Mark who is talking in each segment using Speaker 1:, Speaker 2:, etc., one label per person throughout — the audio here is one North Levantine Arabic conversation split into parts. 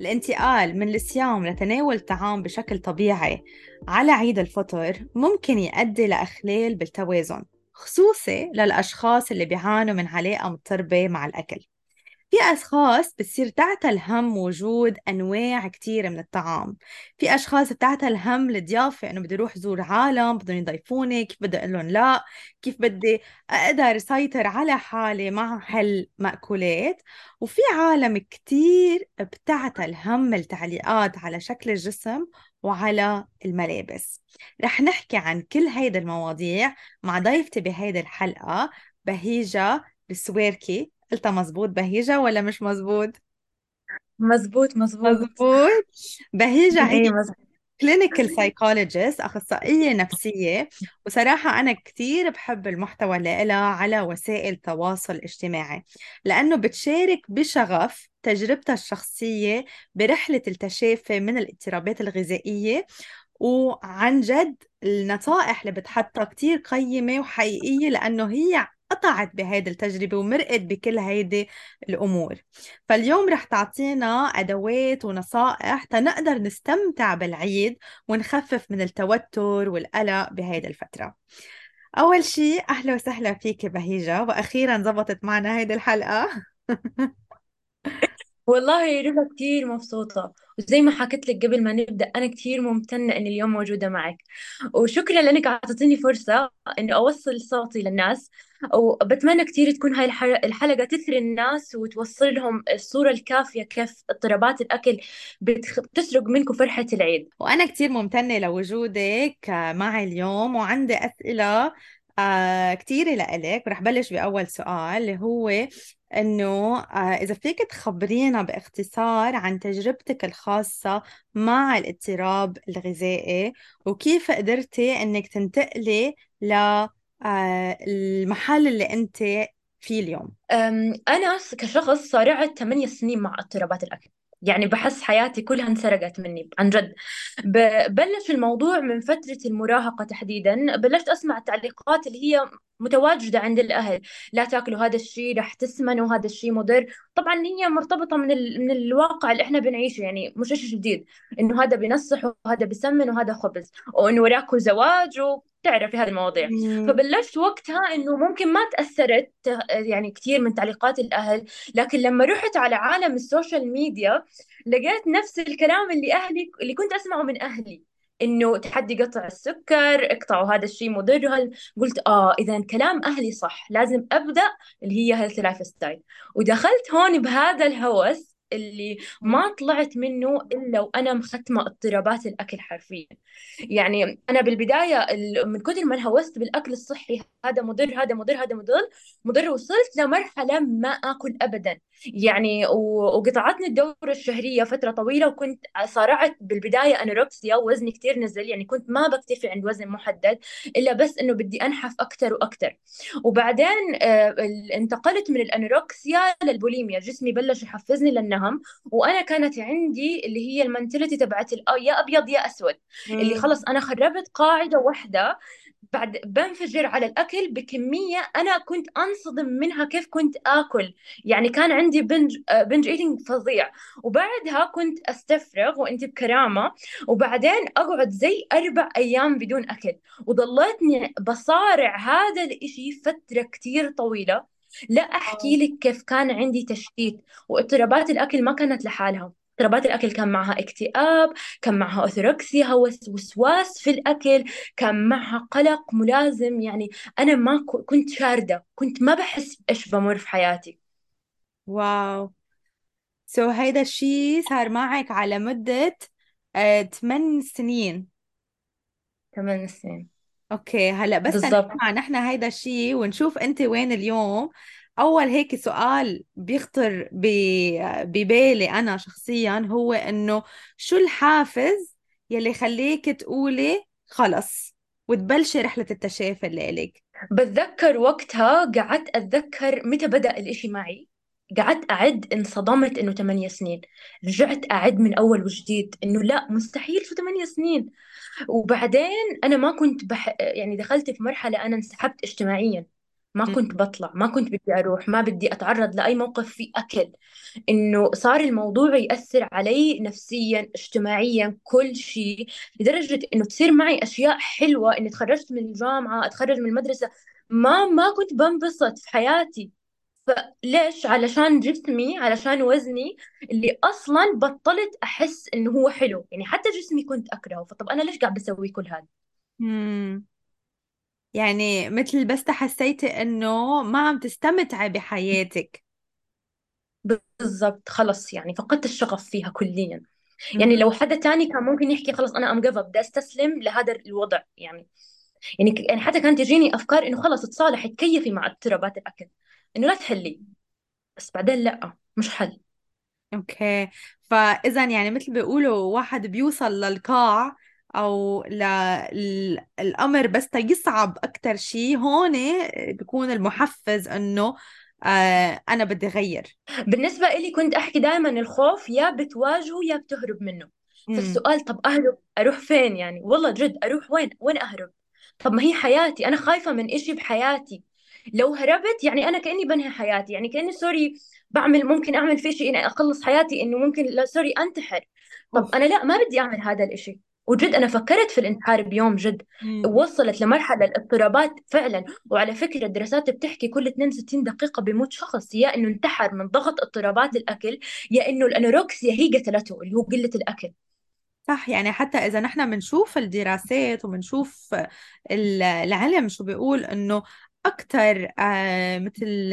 Speaker 1: الانتقال من الصيام لتناول الطعام بشكل طبيعي على عيد الفطر ممكن يؤدي لإخلال بالتوازن، خصوصي للأشخاص اللي بيعانوا من علاقة مضطربة مع الأكل. في أشخاص بتصير تعتل هم وجود أنواع كتيرة من الطعام. في أشخاص بتعتل هم الضيافة، إنه بدي أروح زور عالم بدهم يضيفوني، كيف بدي أقول لهم لا، كيف بدي أقدر أسيطر على حالي مع هالمأكولات. وفي عالم كتير بتعتل هم التعليقات على شكل الجسم وعلى الملابس. رح نحكي عن كل هيدا المواضيع مع ضيفتي بهيدي الحلقة، بهيجة السويركي. قلتها مزبوط بهيجة ولا مش مزبوط؟
Speaker 2: مزبوط مزبوط.
Speaker 1: مزبوط. بهيجة هي
Speaker 2: ايه مزبوط.
Speaker 1: كلينيكال سايكولوجيست، أخصائية نفسية. وصراحة أنا كتير بحب المحتوى اللي لها على وسائل التواصل الاجتماعي، لأنه بتشارك بشغف تجربتها الشخصية برحلة التشافي من الاضطرابات الغذائية. وعن جد النصائح اللي بتحطها كتير قيمة وحقيقية، لأنه هي قطعت بهيدي التجربة ومرقت بكل هيدي الأمور. فاليوم رح تعطينا أدوات ونصائح تنقدر نستمتع بالعيد ونخفف من التوتر والقلق بهيدي الفترة. أول شي أهلا وسهلا فيك بهيجة، وأخيرا زبطت معنا هيدي الحلقة.
Speaker 2: والله رضا كتير مبسوطة، وزي ما حكيت لك قبل ما نبدأ أنا كتير ممتنة إني اليوم موجودة معك. وشكرا لأنك أعطيتيني فرصة إني أوصل صوتي للناس. وبتمنى كتير تكون هاي الحلقة تثري الناس وتوصل لهم الصورة الكافية كيف اضطرابات الأكل بتسرق منكم فرحة العيد.
Speaker 1: وأنا كتير ممتنة لوجودك معي اليوم، وعندي أسئلة كتيرة لإلك. ورح بلش بأول سؤال اللي هو إنه إذا فيك تخبرينا باختصار عن تجربتك الخاصة مع الاضطراب الغذائي، وكيف قدرتي إنك تنتقلي المحل اللي أنت فيه اليوم.
Speaker 2: أنا كشخص صارعت 8 سنين مع اضطرابات الأكل. يعني بحس حياتي كلها انسرقت مني عن جد. بلش الموضوع من فترة المراهقة تحديدا. بلشت أسمع التعليقات اللي هي متواجدة عند الأهل: لا تاكلوا هذا الشيء رح تسمنوا، هذا الشيء مضر. طبعا هي مرتبطة من الواقع اللي احنا بنعيشه، يعني مش شيء جديد إنه هذا بينصح وهذا بيسمن وهذا خبز وإنه وراكوا زواج وتعرفي هذه المواضيع.
Speaker 1: مم.
Speaker 2: فبلشت وقتها انه ممكن ما تاثرت يعني كثير من تعليقات الاهل. لكن لما رحت على عالم السوشيال ميديا لقيت نفس الكلام اللي اهلي اللي كنت اسمعه من اهلي: انه تحدي قطع السكر، اقطعوا هذا الشيء مضر. قلت اذا كلام اهلي صح، لازم ابدا اللي هي هيلث لايف ستايل. ودخلت هون بهذا الهوس اللي ما طلعت منه الا وانا مختمه اضطرابات الاكل حرفيا. يعني انا بالبدايه من كثر ما انهوست بالاكل الصحي: هذا مضر هذا مضر هذا مضر مضر، وصلت لمرحله ما اكل ابدا. يعني وقطعتني الدوره الشهريه فتره طويله، وكنت صارعت بالبدايه انوركسيا ووزني كثير نزل. يعني كنت ما بكتفي عند وزن محدد، الا بس انه بدي انحف اكثر واكثر. وبعدين انتقلت من الانوركسيا للبوليميا، جسمي بلش يحفزني للنهم. وانا كانت عندي اللي هي المنتاليتي تبعت يا ابيض يا اسود، اللي
Speaker 1: مم.
Speaker 2: خلص أنا خربت قاعدة واحدة بعد بنفجر على الأكل بكمية أنا كنت أنصدم منها كيف كنت آكل. يعني كان عندي بنج إيتينج فظيع. وبعدها كنت أستفرغ وأنت بكرامة، وبعدين أقعد زي 4 أيام بدون أكل. وضليتني بصارع هذا الإشي فترة كتير طويلة. لا أحكي لك كيف كان عندي تشتيت. واضطرابات الأكل ما كانت لحالها، اضطرابات الأكل كان معها اكتئاب، كان معها أوثوركسيا، هوس وسواس في الأكل، كان معها قلق ملازم. يعني أنا ما كنت شاردة، كنت ما بحس بإيش بمر في حياتي.
Speaker 1: واو. هيدا الشي صار معك على مدة 8 سنين.
Speaker 2: 8 سنين
Speaker 1: اوكي، هلا بس
Speaker 2: بالضبط.
Speaker 1: نسمع نحن هيدا الشي ونشوف انت وين اليوم. اول هيك سؤال بيخطر ببالي انا شخصيا هو انه شو الحافز يلي خليك تقولي خلص وتبلشي رحلة التشافي اللي إلك؟
Speaker 2: بتذكر وقتها قعدت أتذكر متى بدأ الإشي معي. قعدت أعد، انصدمت إنه 8 سنين. رجعت أعد من أول وجديد إنه لا مستحيل، شو 8 سنين. وبعدين أنا ما كنت يعني دخلت في مرحلة أنا انسحبت اجتماعيا. ما كنت بطلع، ما كنت بدي أروح، ما بدي أتعرض لأي موقف فيه أكل. إنه صار الموضوع يأثر علي نفسيا اجتماعيا كل شيء، لدرجة إنه تصير معي أشياء حلوة، إني تخرجت من الجامعة، أتخرج من المدرسة، ما كنت بنبسط في حياتي. فليش؟ علشان جسمي، علشان وزني اللي أصلا بطلت أحس إنه هو حلو. يعني حتى جسمي كنت أكرهه، فطب أنا ليش قاعد بسوي كل هذا؟
Speaker 1: مم. يعني مثل بس حسيتي انه ما عم تستمتعي بحياتك.
Speaker 2: بالضبط، خلص يعني فقدت الشغف فيها كليا. يعني
Speaker 1: مهم.
Speaker 2: لو حدا تاني كان ممكن يحكي خلص أنا أم جيف اب، بدي أستسلم لهذا الوضع يعني. يعني حتى كانت تجيني أفكار إنه خلص تصالحي، تكيفي مع اضطرابات الأكل، إنه لا تحلي. بس بعدين لا، مش حل.
Speaker 1: اوكي. فاذا يعني مثل بيقولوا واحد بيوصل للقاع او الامر بس يصعب اكتر شيء هون بيكون المحفز انه انا بدي غير.
Speaker 2: بالنسبة إلي كنت أحكي دائما الخوف يا بتواجهه يا بتهرب منه.
Speaker 1: امم.
Speaker 2: فالسؤال طب أهرب أروح فين؟ يعني والله جد أروح وين أهرب؟ طب ما هي حياتي، أنا خايفة من إشي بحياتي. لو هربت يعني أنا كأني بنهي حياتي، يعني كأني سوري بعمل، ممكن أعمل فيه شيء إني أخلص حياتي، إنه ممكن لا سوري أنتحر. طب
Speaker 1: اوف.
Speaker 2: أنا لا، ما بدي أعمل هذا الإشي. وجد أنا فكرت في الانتحار بيوم جد. وصلت لمرحلة الاضطرابات فعلا. وعلى فكرة الدراسات بتحكي كل 62 دقيقة بيموت شخص، يا إنه انتحر من ضغط اضطرابات الأكل، يا إنه الأنوركسيا هي قتلته، اللي هو قلة الأكل.
Speaker 1: صح. يعني حتى إذا نحن بنشوف الدراسات وبنشوف العلم شو بيقول إنه أكثر مثل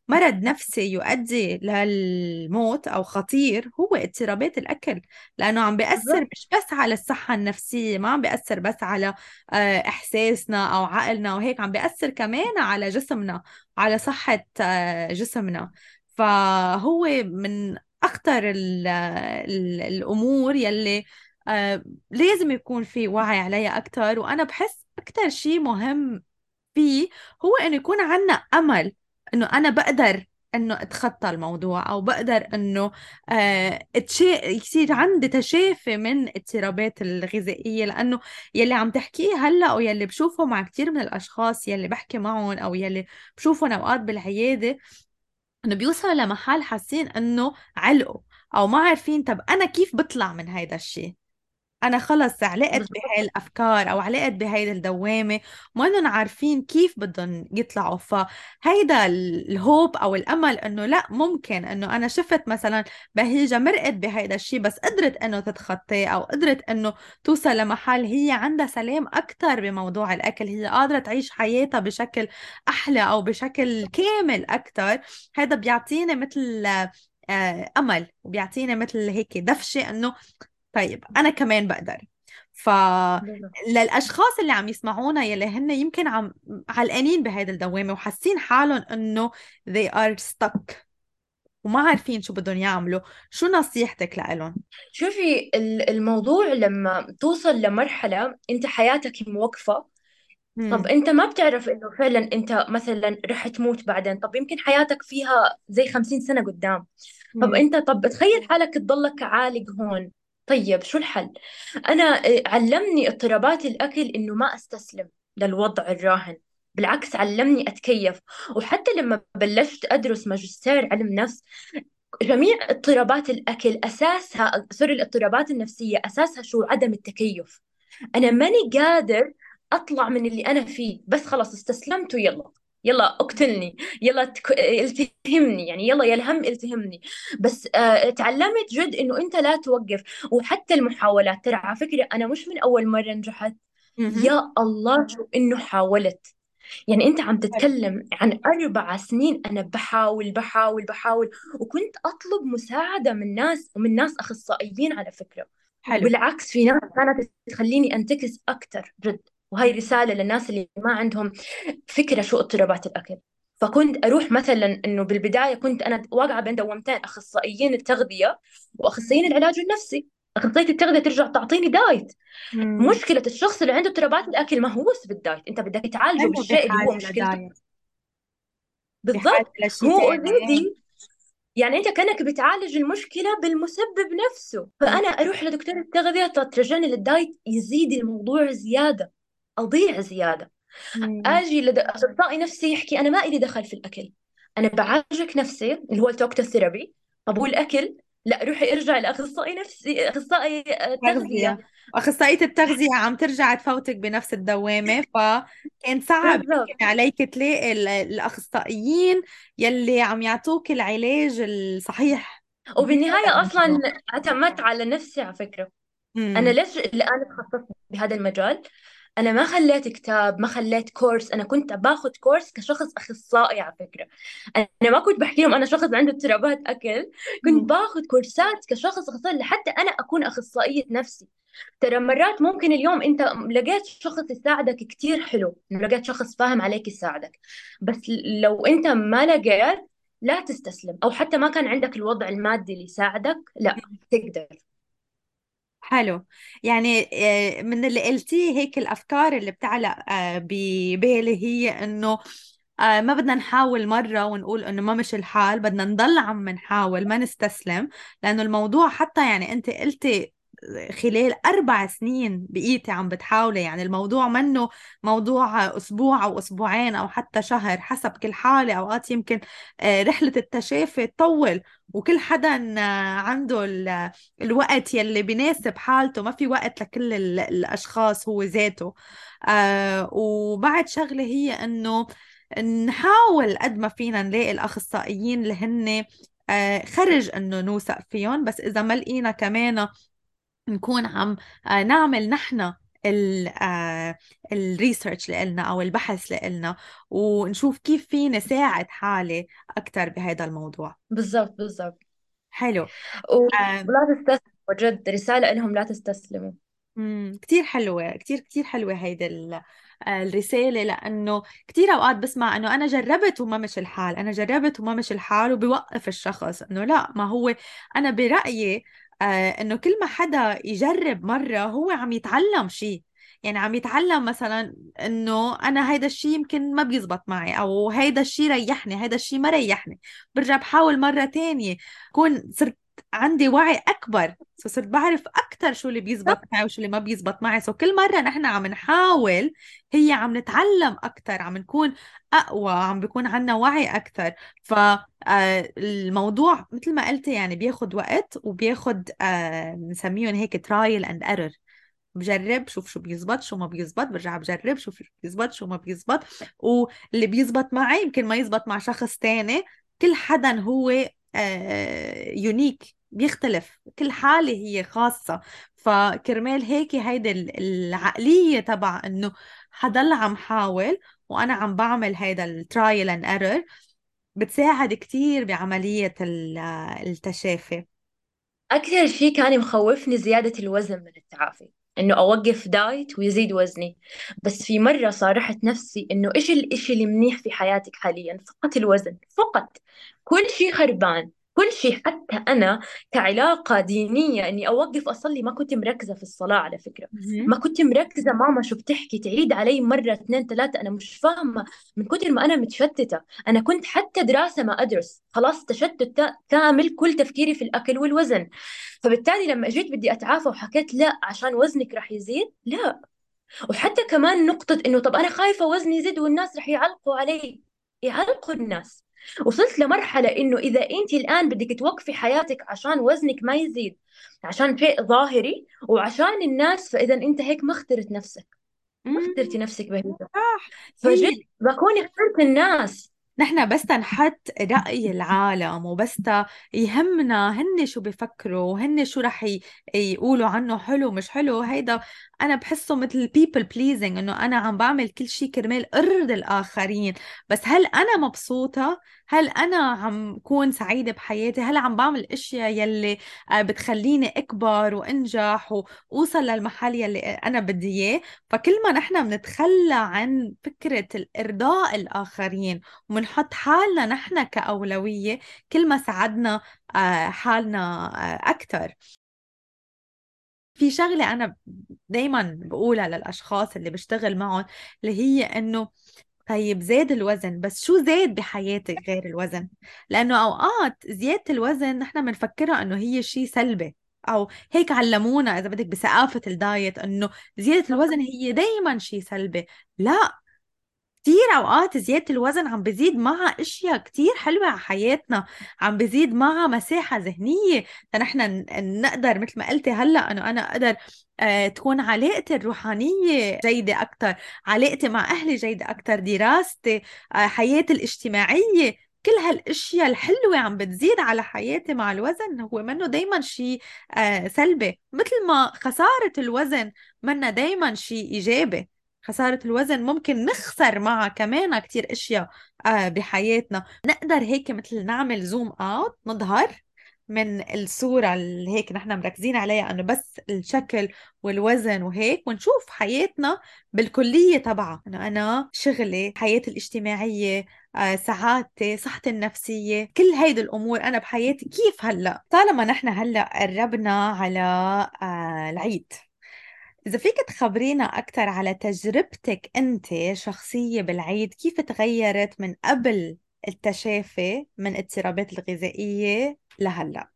Speaker 1: مرض نفسي يؤدي للموت أو خطير هو اضطرابات الأكل، لأنه عم بيأثر
Speaker 2: بالضبط.
Speaker 1: مش بس على الصحة النفسية، ما عم بيأثر بس على إحساسنا أو عقلنا وهيك، عم بيأثر كمان على جسمنا، على صحة جسمنا. فهو من أخطر الأمور يلي لازم يكون في وعي عليها أكتر. وأنا بحس أكتر شيء مهم فيه هو إنه يكون عنا أمل إنه أنا بقدر إنه أتخطى الموضوع، أو بقدر إنه يصير عندي تشافي من اضطرابات الغذائية. لأنه يلي عم تحكيه هلأ أو يلي بشوفه مع كتير من الأشخاص يلي بحكي معهم أو يلي بشوفهم أوقات بالعيادة، إنه بيوصلوا لمحل حاسين إنه علقوا أو ما عارفين طب أنا كيف بطلع من هيدا الشيء. انا خلص علقت
Speaker 2: بالضبط.
Speaker 1: بهاي الافكار او علقت بهاي الدوامه، ما انهم عارفين كيف بدهم يطلعوا. فهيدا الهوب او الامل انه لا، ممكن انه انا شفت مثلا بهيجه مرقت بهيدا الشيء بس قدرت انه تتخطاه، او قدرت انه توصل لمحل هي عندها سلام اكثر بموضوع الاكل، هي قادره تعيش حياتها بشكل احلى او بشكل كامل اكثر. هذا بيعطيني مثل امل، وبيعطيني مثل هيك دفشه انه طيب أنا كمان بقدر.
Speaker 2: بالضبط.
Speaker 1: فللأشخاص اللي عم يسمعونا يلي هن يمكن عم علقانين بهيدا الدوامة وحاسين حالهم إنه they are stuck وما عارفين شو بدهم يعملوا، شو نصيحتك لإلهم؟
Speaker 2: شوفي الموضوع لما توصل لمرحلة أنت حياتك موقفة. طب
Speaker 1: امم.
Speaker 2: أنت ما بتعرف إنه فعلا أنت مثلا رح تموت بعدين، طب يمكن حياتك فيها زي 50 سنة قدام. طب
Speaker 1: امم.
Speaker 2: أنت، طب تخيل حالك تضلك عالق هون. طيب شو الحل؟ أنا علمني اضطرابات الأكل إنه ما أستسلم للوضع الراهن. بالعكس علمني أتكيف. وحتى لما بلشت أدرس ماجستير علم نفس، جميع اضطرابات الأكل أساسها، سوري، الاضطرابات النفسية أساسها شو؟ عدم التكيف. أنا ماني قادر أطلع من اللي أنا فيه، بس خلاص استسلمت ويلا، يلا اقتلني، يلا التهمني، يعني يلا يا الهم التهمني. بس تعلمت جد إنه أنت لا توقف. وحتى المحاولات، ترى على فكرة أنا مش من أول مرة نجحت.
Speaker 1: امم.
Speaker 2: يا الله شو إنه حاولت. يعني أنت عم تتكلم عن 4 سنين أنا بحاول. وكنت أطلب مساعدة من ناس، ومن ناس أخصائيين على فكرة.
Speaker 1: حلو.
Speaker 2: وبالعكس في ناس كانت تخليني أنتكس أكتر جد. وهي رسالة للناس اللي ما عندهم فكرة شو اضطرابات الأكل. فكنت أروح مثلا، إنه بالبداية كنت أنا واقعة بين دوامتين: أخصائيين التغذية وأخصائيين العلاج النفسي. أخصائية التغذية ترجع تعطيني دايت.
Speaker 1: امم.
Speaker 2: مشكلة الشخص اللي عنده اضطرابات الأكل ما هو بس بالدايت، أنت بدك تعالجه
Speaker 1: هلا
Speaker 2: بالشيء اللي هو
Speaker 1: بحاجة
Speaker 2: مشكلته.
Speaker 1: لدايت، بحاجة
Speaker 2: بالضبط.
Speaker 1: لشي
Speaker 2: هو
Speaker 1: تاني.
Speaker 2: اوريدي، يعني أنت كأنك بتعالج المشكلة بالمسبب نفسه.
Speaker 1: مم.
Speaker 2: فأنا أروح لدكتور التغذية ترجعني للدايت، يزيد الموضوع زيادة، أضيع زيادة.
Speaker 1: مم.
Speaker 2: اجي لاخصائي نفسي يحكي انا ما إلي دخل في الاكل، انا بعالجك نفسي اللي هو التوكتو ثيرابي. طب والاكل؟ لا، روحي ارجعي لاخصائي نفسي، اخصائي تغذيه.
Speaker 1: تغذية. أخصائية التغذية عم ترجع تفوتك بنفس الدوامة، فكان صعب
Speaker 2: بالضبط.
Speaker 1: يمكن عليك تلاقي الأخصائيين يلي عم يعطوك العلاج الصحيح بهذا
Speaker 2: وبالنهايه اصلا
Speaker 1: الموضوع.
Speaker 2: اعتمدت على نفسي على فكره. انا
Speaker 1: امم.
Speaker 2: ليش الان تخصصت بهذا المجال؟ انا ما خليت كتاب، ما خليت كورس، انا كنت باخذ كورس كشخص اخصائي على فكره. انا ما كنت بحكي لهم انا شخص عنده اضطرابات اكل، كنت باخذ كورسات كشخص اخصائي لحتى انا اكون اخصائيه نفسي. ترى مرات ممكن اليوم انت لقيت شخص يساعدك كتير حلو، إنه لقيت شخص فاهم عليك يساعدك، بس لو انت ما لقيت، لا تستسلم، او حتى ما كان عندك الوضع المادي اللي يساعدك، لا تقدر.
Speaker 1: حلو. يعني من اللي قلتيه هيك الأفكار اللي بتعلق ببالي هي إنه ما بدنا نحاول مرة ونقول إنه ما مش الحال، بدنا نضل عم نحاول ما نستسلم. لأنه الموضوع حتى يعني أنت قلتي خلال 4 سنين بقيتي عم بتحاولي، يعني الموضوع منه موضوع أسبوع أو أسبوعين أو حتى شهر حسب كل حالة. أوقات يمكن رحلة التشافي تطول، وكل حدا عنده الوقت يلي بيناسب حالته، ما في وقت لكل الأشخاص هو ذاته. وبعد شغلة هي إنه نحاول قد ما فينا نلاقي الأخصائيين اللي هن خرج إنه نوثق فيهم، بس إذا ما لقينا كمان نكون عم نعمل نحن الريسيرش اللي قلنا أو البحث اللي قلنا، ونشوف كيف فينا ساعد حالي أكثر بهذا الموضوع.
Speaker 2: بالضبط بالضبط.
Speaker 1: حلو. آه،
Speaker 2: ولا تستسلموا، جد رسالة لهم لا تستسلموا.
Speaker 1: كتير حلوة، كتير كتير حلوة هيدا الرسالة. لأنه كتير أوقات بسمع أنه أنا جربت وما مش الحال، أنا جربت وما مش الحال، وبيوقف الشخص أنه لا، ما هو أنا برأيي أنه كل ما حدا يجرب مرة هو عم يتعلم شيء. يعني عم يتعلم مثلا انه انا هيدا الشيء يمكن ما بيزبط معي، او هيدا الشيء ريحني، هيدا الشيء ما ريحني، برجع بحاول مرة تانية. كون صرت عندي وعي اكبر، صرت بعرف اكثر شو اللي بيزبط معي وشو اللي ما بيزبط معي. كل مرة نحن عم نحاول هي عم نتعلم اكثر، عم نكون اقوى، عم بيكون عنا وعي اكثر. فالموضوع مثل ما قلت يعني بياخد وقت، وبياخد بنسميهم هيك ترايل اند ايرور. بجرب شوف شو بيزبط شو ما بيزبط، برجع بجرب شوف شو بيزبط شو ما بيزبط. واللي بيزبط معي يمكن ما يزبط مع شخص تاني. كل حدا هو يونيك، بيختلف، كل حالة هي خاصة. فكرمال هيك هيدي العقلية تبع انه حضل عم حاول وانا عم بعمل هيدا الترايل اند ايرور بتساعد كتير بعملية التشافي.
Speaker 2: أكثر شيء كان مخوفني زيادة الوزن من التعافي، إنه أوقف دايت ويزيد وزني. بس في مرة صارحت نفسي إنه إيش الإشي اللي منيح في حياتك حاليا؟ فقط الوزن فقط. كل شيء خربان، كل شيء. حتى أنا كعلاقة دينية إني أوقف أصلي، ما كنت مركزة في الصلاة على فكرة.
Speaker 1: مهم.
Speaker 2: ما كنت مركزة ماما شو بتحكي، تعيد علي مرة اثنين ثلاثة، أنا مش فاهمة من كتر ما أنا متشتتة. أنا كنت حتى دراسة ما أدرس، خلاص تشتت كامل، كل تفكيري في الأكل والوزن. فبالتالي لما جيت بدي أتعافى وحكيت لا عشان وزنك رح يزيد، لا. وحتى كمان نقطة إنه طب أنا خايفة وزني يزيد والناس رح يعلقوا علي. يعلقوا الناس؟ وصلت لمرحلة إنه إذا أنت الآن بدك توقفي حياتك عشان وزنك ما يزيد، عشان شيء ظاهري وعشان الناس، فإذا أنت هيك ما اخترت نفسك، ما اخترتي
Speaker 1: مم.
Speaker 2: نفسك بهذا.
Speaker 1: صح.
Speaker 2: فجد
Speaker 1: هي
Speaker 2: بكون اخترت الناس.
Speaker 1: نحن بس نحط رأي العالم، وبس يهمنا هن شو بيفكروا، هن شو رح يقولوا عنه حلو مش حلو. هيدا أنا بحسه مثل people pleasing، إنه أنا عم بعمل كل شيء كرمال أرضي الآخرين. بس هل أنا مبسوطة؟ هل أنا عم كون سعيدة بحياتي؟ هل عم بعمل أشياء يلي بتخليني أكبر وأنجح وأوصل للمحل يلي أنا بدي إياه؟ فكل ما نحن بنتخلى عن فكرة الإرضاء الآخرين ومنحط حالنا نحن كأولوية، كل ما ساعدنا حالنا أكثر. في شغلة أنا دايما بقولها للأشخاص اللي بشتغل معهم، اللي هي إنه طيب زاد الوزن، بس شو زاد بحياتك غير الوزن؟ لأنه أوقات زيادة الوزن نحن بنفكرها إنه هي شيء سلبي، أو هيك علمونا إذا بدك بثقافة الدايت إنه زيادة الوزن هي دايما شيء سلبي. لا، كتير أوقات زيادة الوزن عم بزيد معها أشياء كتير حلوة على حياتنا، عم بزيد معها مساحة ذهنية فنحن نقدر مثل ما قلتي هلأ أنه أنا أقدر تكون علاقتي الروحانية جيدة أكتر، علاقتي مع أهلي جيدة أكتر، دراستي، حياتي الاجتماعية، كل هالاشياء الحلوة عم بتزيد على حياتي مع الوزن. هو منه دايما شيء سلبي، مثل ما خسارة الوزن منه دايما شيء إيجابي. خسارة الوزن ممكن نخسر معها كمان كتير اشياء بحياتنا. نقدر هيك مثل نعمل زوم اوت، نظهر من الصورة اللي هيك نحن مركزين عليها انه بس الشكل والوزن وهيك، ونشوف حياتنا بالكلية تبعها، انه انا شغلي، حياتي الاجتماعية، سعادتي، صحتي النفسية، كل هيدي الامور انا بحياتي كيف هلا. طالما نحن هلا قربنا على العيد، إذا فيك تخبرينا أكثر على تجربتك أنت شخصية بالعيد، كيف تغيرت من قبل التشافي من اضطرابات الغذائية لهلأ؟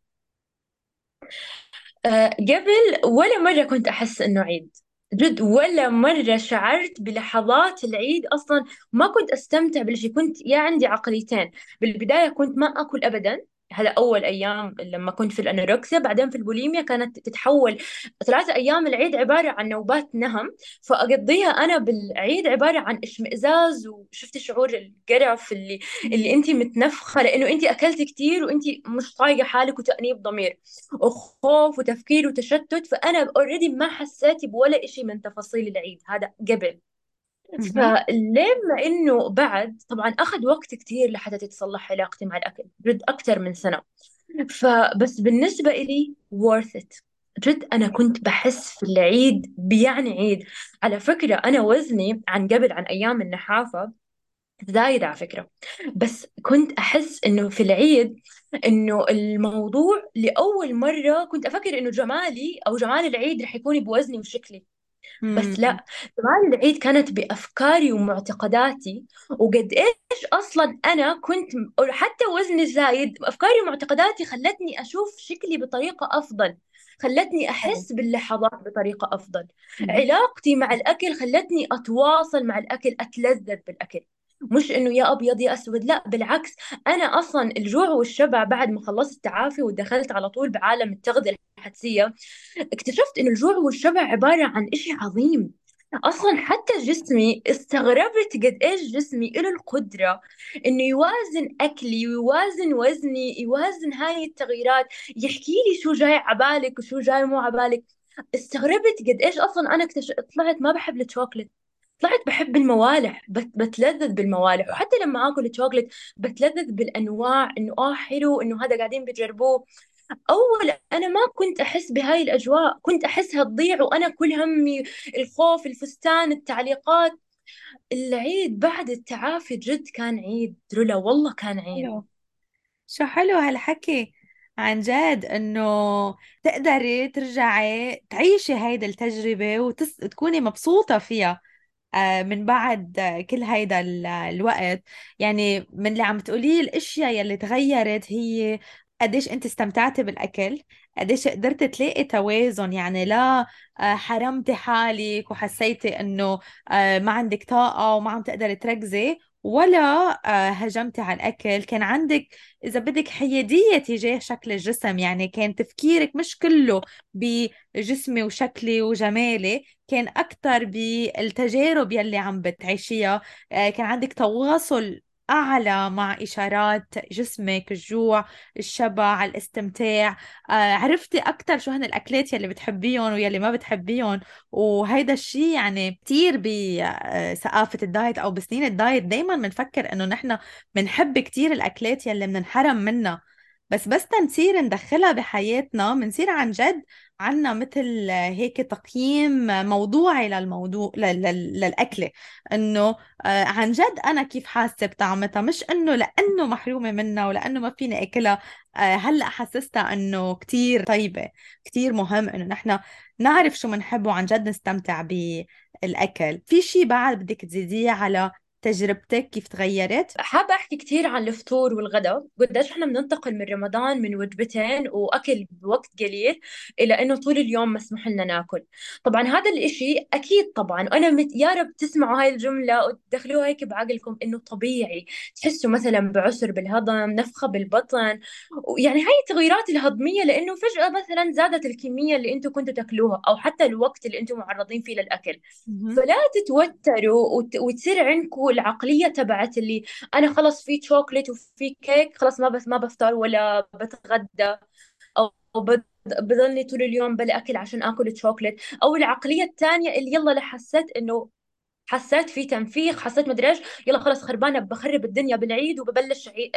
Speaker 2: قبل ولا مرة كنت أحس إنه عيد، جد ولا مرة شعرت بلحظات العيد أصلا. ما كنت أستمتع بالشيء. كنت يا عندي عقليتين. بالبداية كنت ما أكل أبدا. هذا أول أيام لما كنت في الأنوركسيا. بعدين في البوليميا كانت تتحول 3 أيام العيد عبارة عن نوبات نهم، فأقضيها أنا بالعيد عبارة عن اشمئزاز، وشفت شعور القرف اللي
Speaker 1: مم.
Speaker 2: أنت متنفخة لأنه أنت أكلت كتير وأنت مش طايقة حالك، وتأنيب ضمير وخوف وتفكير وتشتت. فأنا اوريدي ما حسيت بولا إشي من تفاصيل العيد هذا قبل.
Speaker 1: مهم.
Speaker 2: فلما إنه بعد طبعا أخذ وقت كتير لحتى تتصلح علاقتي مع الأكل، جد أكثر من سنة. فبس بالنسبة إلي worth it. جد أنا كنت بحس في العيد بيعني عيد. على فكرة أنا وزني عن قبل، عن أيام النحافة، زايد على فكرة. بس كنت أحس إنه في العيد إنه الموضوع لأول مرة كنت أفكر إنه جمالي أو جمال العيد رح يكون بوزني وشكلي. بس
Speaker 1: مم.
Speaker 2: لا، جمال العيد كانت بأفكاري ومعتقداتي. وقد إيش أصلا أنا كنت حتى وزني زايد، أفكاري ومعتقداتي خلتني أشوف شكلي بطريقة أفضل، خلتني
Speaker 1: حلو.
Speaker 2: أحس باللحظات بطريقة أفضل.
Speaker 1: مهم.
Speaker 2: علاقتي مع الأكل خلتني أتواصل مع الأكل، أتلذذ بالأكل. مش إنه يا أبيض يا أسود، لا بالعكس. أنا أصلا الجوع والشبع بعد ما خلصت التعافي ودخلت على طول بعالم التغذية الحدسية، اكتشفت إن الجوع والشبع عبارة عن إشي عظيم. أصلا حتى جسمي استغربت قد إيش جسمي له القدرة إنه يوازن أكلي ويوازن وزني، يوازن هاي التغييرات، يحكي لي شو جاي عبالك وشو جاي مو عبالك. استغربت قد إيش أصلا أنا طلعت ما بحب الشوكولات. طلعت بحب الموالح، بتلذذ بالموالح. وحتى لما آكل الشوكولات بتلذذ بالأنواع، إنه حلو، إنه هذا قاعدين بيجربوه. أول أنا ما كنت أحس بهاي الأجواء، كنت أحسها تضيع وأنا كل همي الخوف، الفستان، التعليقات. العيد بعد التعافي جد كان عيد رولا، والله كان عيد.
Speaker 1: حلو. شو حلو هالحكي، عن جد انه تقدري ترجعي تعيشي هيدا التجربة وتكوني مبسوطة فيها من بعد كل هيدا الوقت. يعني من اللي عم تقوليه الاشياء يلي تغيرت هي قديش انت استمتعتي بالاكل، قديش قدرت تلاقي توازن، يعني لا حرمتي حالك وحسيتي انه ما عندك طاقة وما عم تقدري تركزي، ولا هجمتي على الاكل. كان عندك اذا بدك حيادية تجاه شكل الجسم، يعني كان تفكيرك مش كله بجسمي وشكلي وجمالي، كان أكتر بالتجارب يلي عم بتعيشيها. كان عندك تواصل أعلى مع إشارات جسمك، الجوع، الشبع، الاستمتاع. عرفتي أكتر شو هن الأكلات يلي بتحبيهم ويلي ما بتحبيهم. وهيدا الشيء يعني كتير بثقافة الدايت أو بسنين الدايت دايما بنفكر إنه نحن بنحب كتير الأكلات يلي بننحرم منها، بس تنصير ندخلها بحياتنا بنصير عن جد عنا مثل هيك تقييم موضوعي للموضوع للأكلة، إنه عن جد أنا كيف حاسة بطعمتها، مش إنه لأنه محرومة منها ولأنه ما فيني أكلها هلأ حسستها إنه كتير طيبة. كتير مهم إنه نحن نعرف شو منحب وعن جد نستمتع بالأكل. في شي بعد بدك تزيديه على تجربتك كيف تغيرت؟
Speaker 2: حابة أحكي كثير عن الفطور والغداء، قديش إحنا بننتقل من رمضان من وجبتين وأكل بوقت قليل إلى إنه طول اليوم مسموح لنا ناكل. طبعا هذا الإشي أكيد طبعا أنا يا رب تسمعوا هاي الجملة وتدخلوها هيك بعقلكم إنه طبيعي تحسوا مثلا بعسر بالهضم، نفخة بالبطن، يعني هاي التغيرات الهضمية لأنه فجأة مثلا زادت الكمية اللي أنتم كنتوا تاكلوها أو حتى الوقت اللي أنتم معرضين فيه للأكل.
Speaker 1: مهم.
Speaker 2: فلا تتوتروا وتصير عندكم العقلية تبعت اللي انا خلص في شوكليت وفي كيك خلص ما بفطر ولا بتغدى، او بضلني طول اليوم بلا اكل عشان اكل شوكليت. او العقليه الثانيه اللي يلا لحسيت انه حسيت في تنفيخ، حسيت مدري ايش، يلا خلص خربانه بخرب الدنيا بالعيد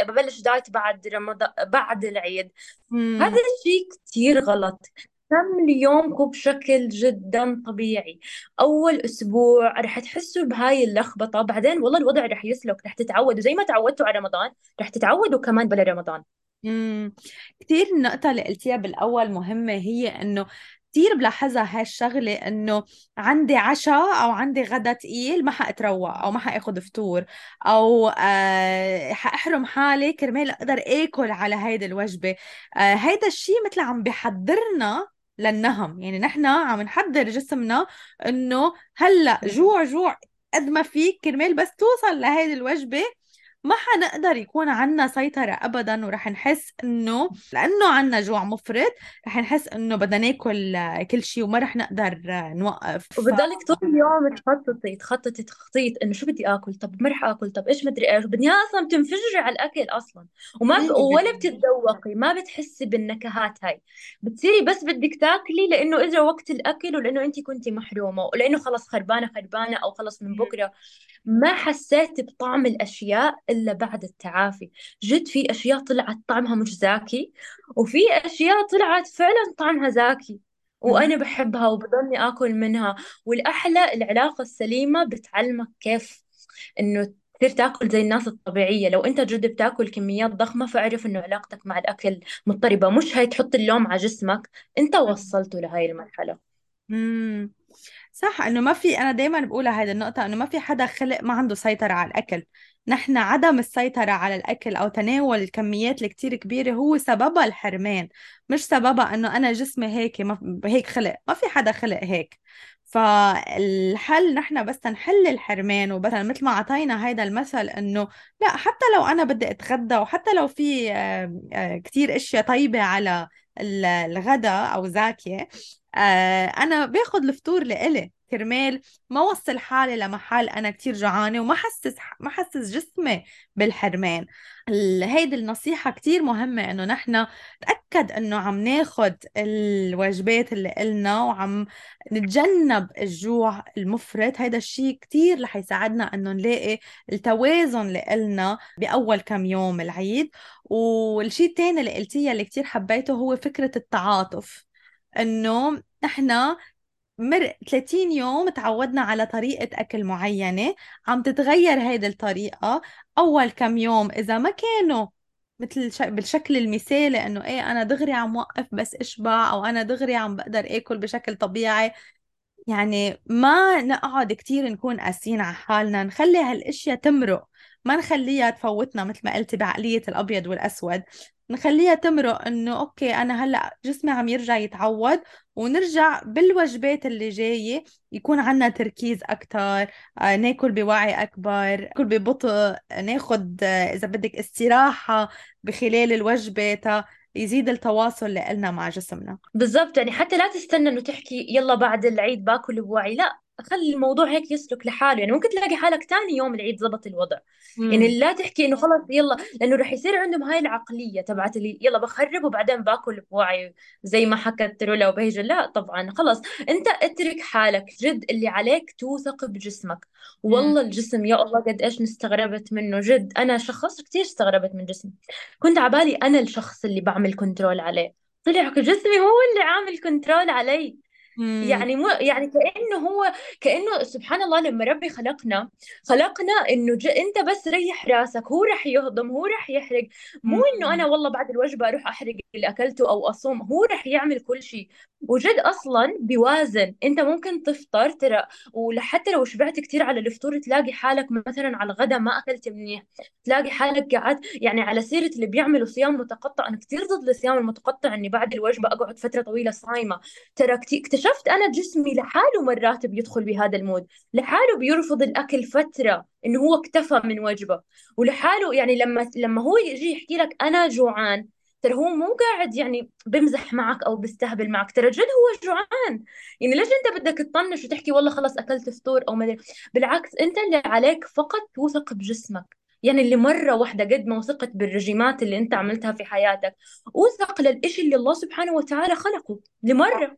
Speaker 2: ببلش دايت بعد رمضان بعد العيد. هذا
Speaker 1: مم.
Speaker 2: الشيء كثير غلط. كملي يومكم بشكل جدا طبيعي. أول أسبوع رح تحسوا بهاي اللخبطة، بعدين والله الوضع رح يسلك، رح تتعودوا زي ما تعودتوا على رمضان رح تتعودوا كمان بلا رمضان.
Speaker 1: مم. كتير النقطة اللي قلتيها بالأول مهمة، هي إنه كتير بلاحظها هالشغلة، إنه عندي عشاء أو عندي غدا تقيل ما حأتروق أو ما حأخذ فطور، أو حأحرم حالي كرمال أقدر آكل على هيدي الوجبة. هيدا الشيء مثل عم بحضرنا للنهم، يعني نحن عم نحضر جسمنا إنه هلأ جوع جوع قد ما فيك كرمال بس توصل لهيدي الوجبة. ما حنقدر يكون عنا سيطرة أبدا، ورح نحس إنه لأنه عنا جوع مفرط رح نحس إنه بدنا ناكل كل شيء وما رح نقدر نوقف.
Speaker 2: وبتضلك طول اليوم تخططي تخطيط انه شو بدي اكل، طب ما رح اكل، طب ايش مدري ايش، بدنيا اصلا بتنفجري على الاكل اصلا. ولا
Speaker 1: 100%.
Speaker 2: بتتذوقي، ما بتحسي بالنكهات هاي. بتصيري بس بدك تاكلي لانه اجى وقت الاكل ولانه انت كنتي محرومه ولانه خلص خربانه او خلص من بكره. ما حسيت بطعم الاشياء الا بعد التعافي. جد في اشياء طلعت طعمها مش زاكي، وفي اشياء طلعت فعلا طعمها زاكي
Speaker 1: مهم.
Speaker 2: وأنا بحبها وبضلني آكل منها. والأحلى العلاقة السليمة بتعلمك كيف إنه تصير تاكل زي الناس الطبيعية. لو أنت جد بتاكل كميات ضخمة فاعرف إنه علاقتك مع الأكل مضطربة، مش هي تحط اللوم على جسمك، أنت وصلته لهاي المرحلة.
Speaker 1: مم. صح، انه ما في، انا دايما بقولها هذه النقطة، انه ما في حدا خلق ما عنده سيطرة على الاكل. نحن عدم السيطرة على الاكل او تناول الكميات الكتير كبيرة هو سببها الحرمان، مش سببها انه انا جسمي هيك، ما هيك خلق، ما في حدا خلق هيك. فالحل نحن بس نحل الحرمان، وبس مثل ما اعطينا هيدا المثل انه لا، حتى لو انا بدي اتغدى وحتى لو في كتير اشياء طيبة على الغداء او زاكية، انا باخد الفطور لإلي كرمال ما وصل حالي لمحل انا كتير جوعانه وما حسس جسمي بالحرمان. هيدي النصيحة كتير مهمة، انه نحن نتأكد انه عم ناخد الوجبات اللي إلنا وعم نتجنب الجوع المفرط. هيدا الشيء كتير رح يساعدنا انه نلاقي التوازن اللي إلنا بأول كم يوم العيد. والشيء التاني اللي قلتيه اللي كتير حبيته هو فكرة التعاطف، انه احنا 30 يوم تعودنا على طريقة أكل معينة، عم تتغير هيدي الطريقة. أول كم يوم إذا ما كانوا مثل بالشكل المثالي، إنه إيه أنا دغري عم وقف بس إشبع، أو أنا دغري عم بقدر آكل بشكل طبيعي، يعني ما نقعد كتير نكون قاسيين على حالنا، نخلي هالاشياء تمرق، ما نخليها تفوتنا مثل ما قلتي بعقلية الأبيض والأسود. نخليها تمرق، إنه أوكي أنا هلأ جسمي عم يرجع يتعود، ونرجع بالوجبات اللي جاية يكون عنا تركيز أكتر، ناكل بوعي أكبر، ناكل ببطء، ناخد إذا بدك استراحة بخلال الوجبة تا يزيد التواصل اللي قلنا مع جسمنا.
Speaker 2: بالضبط، يعني حتى لا تستنى انه تحكي يلا بعد العيد باكل بوعي، لا خلي الموضوع هيك يسلك لحاله. يعني ممكن تلاقي حالك تاني يوم العيد زبط الوضع.
Speaker 1: امم.
Speaker 2: يعني لا تحكي انه خلص يلا، لانه رح يصير عندهم هاي العقلية تبعت اللي يلا بخرب وبعدين باكل بوعي زي ما حكت رولا وبهجة. لا طبعا خلص، انت اترك حالك، جد اللي عليك توثق بجسمك. والله الجسم يا الله قد ايش استغربت منه، جد انا شخص كثير استغربت من جسمي. كنت عبالي انا الشخص اللي بعمل كنترول عليه، طلع جسمي هو اللي عامل كنترول علي.
Speaker 1: امم.
Speaker 2: يعني مو يعني كأنه سبحان الله لما ربي خلقنا انه انت بس ريح راسك، هو رح يهضم، هو رح يحرق. مو انه انا والله بعد الوجبة اروح احرق اللي اكلته او اصوم، هو رح يعمل كل شيء. وجد اصلا بيوازن. انت ممكن تفطر ترى، وحتى لو شبعت كثير على الفطور تلاقي حالك مثلا على الغداء ما اكلت منيح، تلاقي حالك قاعد. يعني على سيرة اللي بيعملوا صيام متقطع، انا كثير ضد الصيام المتقطع، اني بعد الوجبة اقعد فترة طويلة صايمة. ترى اكتشفت انا جسمي لحاله مرات بيدخل بهذا المود، لحاله بيرفض الاكل فتره انه هو اكتفى من وجبه، ولحاله يعني لما هو يجي يحكي لك انا جوعان، ترى هو مو قاعد يعني بمزح معك او بيستهبل معك، ترى جد هو جوعان. يعني ليش انت بدك تطنش وتحكي والله خلص اكلت فطور او ما أدري؟ بالعكس، انت اللي عليك فقط توثق بجسمك. يعني اللي مرة واحدة قد ما وثقت بالرجيمات اللي انت عملتها في حياتك، اوثق للإشي اللي الله سبحانه وتعالى خلقه لمرة.